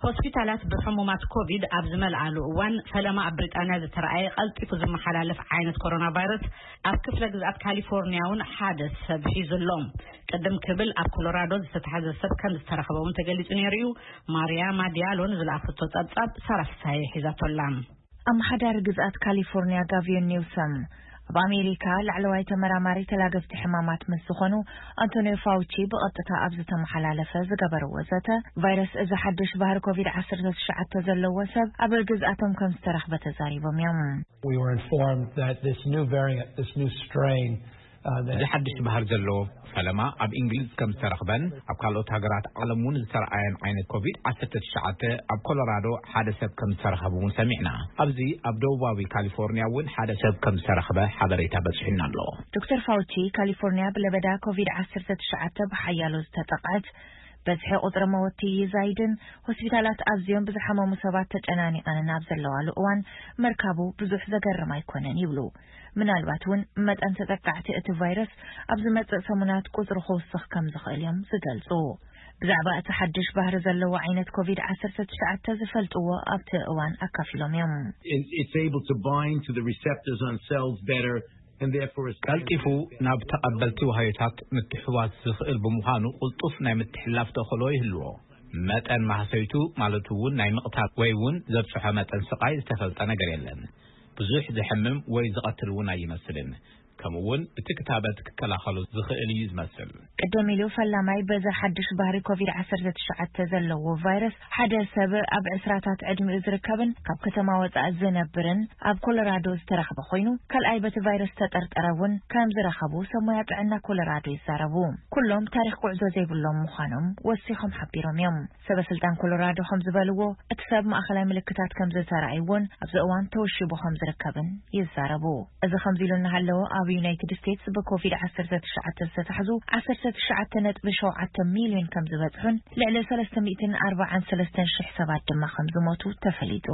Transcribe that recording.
ሆስፒታላት ብሕሙማት ኮቪድ ኣብ ዝመልኣሉ እዋን፣ ፈለማ ኣብ ብሪጣንያ ዝተረኣየ ቀልጢፉ ዝመሓላለፍ ዓይነት ኮሮና ቫይረስ ኣብ ክፍለ ግዝኣት ካሊፎርኒያ እውን ሓደ ሰብ ሒዙ ኣሎ። ቅድም ክብል ኣብ ኮሎራዶ ዝተታሕዘ ሰብ ከም ዝተረኸበ እውን ተገሊጹ ነይሩ እዩ። ማርያማ ዲያሎ ንዝለኣኸቶ ጸብጻብ ሳራ ፍሳሐ ሒዛቶ ኣላ። ኣመሓዳሪ ግዝኣት ካሊፎርኒያ ጋቪዮን ኒውሰም፣ ኣብ ኣሜሪካ ላዕለዋይ ተመራማሪ ተላገብቲ ሕማማት ምስ ዝኾኑ ኣንቶኒዮ ፋውቺ ብቐጥታ ኣብ ዝተመሓላለፈ ዝገበርዎ ዘተ፣ ቫይረስ እዚ ሓድሽ ባህሪ ኮቪድ ዓሰርተ ትሽዓተ ዘለዎ ሰብ ኣብ ግዝኣቶም ከም ዝተረኽበ ተዛሪቦም እዮም። We were informed that this new variant, this new strain, uh, that እዚ ሓድሽ ባህር ዘለዎ ፈለማ ኣብ እንግሊዝ ከም ዝተረኽበን ኣብ ካልኦት ሃገራት ዓለም እውን ዝተረኣየን ዓይነት ኮቪድ ዓሰርተ ትሽዓተ ኣብ ኮሎራዶ ሓደ ሰብ ከም ዝተረኸቡ እውን ሰሚዕና። ኣብዚ ኣብ ደቡባዊ ካሊፎርኒያ እውን ሓደ ሰብ ከም ዝተረኽበ ሓበሬታ በፂሑና ኣሎ። ዶክተር ፋውቺ፣ ካሊፎርኒያ ብለበዳ ኮቪድ ዓሰርተ ትሽዓተ ብሓያሎ ዝተጠቕዐት፣ በዝሒ ቁፅሪ መወቲ ይዛይድን ሆስፒታላት ኣዝዮም ብዝሓመሙ ሰባት ተጨናኒቐንን ኣብ ዘለዋሉ እዋን፣ ምርካቡ ብዙሕ ዘገርም ኣይኮነን ይብሉ። ምናልባት እውን መጠን ተጠቃዕቲ እቲ ቫይረስ ኣብ ዝመጽእ ሰሙናት ቁጽሩ ክውስኽ ከም ዝኽእል እዮም ዝገልጹ። ብዛዕባ እቲ ሓድሽ ባህሪ ዘለዎ ዓይነት ኮቪድ ዓሰርተ ትሽዓተ ዝፈልጥዎ ኣብቲ እዋን ኣካፊሎም እዮም። It- It's able to bind to the receptors on cells better, and therefore is ቀልጢፉ ናብ ተቐበልቲ ዋህዮታት ምትሕዋስ ዝኽእል ብምዃኑ፣ ቅልጡፍ ናይ ምትሕልላፍ ተኽእሎ ይህልዎ። መጠን ማህሰይቱ፣ ማለት እውን ናይ ምቕታል ወይ እውን ዘብፅሖ መጠን ስቓይ ዝተፈልጠ ነገር የለን። ብዙሕ ዘሕምም ወይ ዝቐትል እውን ኣይመስልን። ከምኡ እውን እቲ ክታበት ክከላኸሎ ዝኽእል እዩ ዝመስል። ቅደም ኢሉ ፈላማይ በዚ ሓድሽ ባህሪ ኮቪድ ዓሰርተ ትሽዓተ ዘለዎ ቫይረስ ሓደ ሰብ ኣብ ዕስራታት ዕድሚኡ ዝርከብን ካብ ከተማ ወጻኢ ዝነብርን ኣብ ኮሎራዶ ዝተረኽበ ኮይኑ፣ ካልኣይ በቲ ቫይረስ ዝተጠርጠረ እውን ከም ዝረኸቡ ሰብ ሞያ ጥዕና ኮሎራዶ ይዛረቡ። ኩሎም ታሪኽ ጉዕዞ ዘይብሎም ምዃኖም ወሲኾም ሓቢሮም እዮም። ሰበ ስልጣን ኮሎራዶ ከም ዝበልዎ፣ እቲ ሰብ ማእኸላይ ምልክታት ከም ዝተራእይዎን ኣብዚ እዋን ተወሺቡ ከም ዝርከብን ይዛረቡ። እዚ ከምዚ ኢሉ እናሃለወ፣ ኣብ ዩናይትድ ስቴትስ ብኮቪድ ዓሰርተ ትሽዓተ ዝተታሕዙ ዓሰርተ ትሽዓተ ነጥቢ ሸውዓተ ሚልዮን ከም ዝበጽሑን ልዕሊ ሰለስተ ሚእትን ኣርባዓን ሰለስተን ሽሕ ሰባት ድማ ከም ዝሞቱ ተፈሊጡ።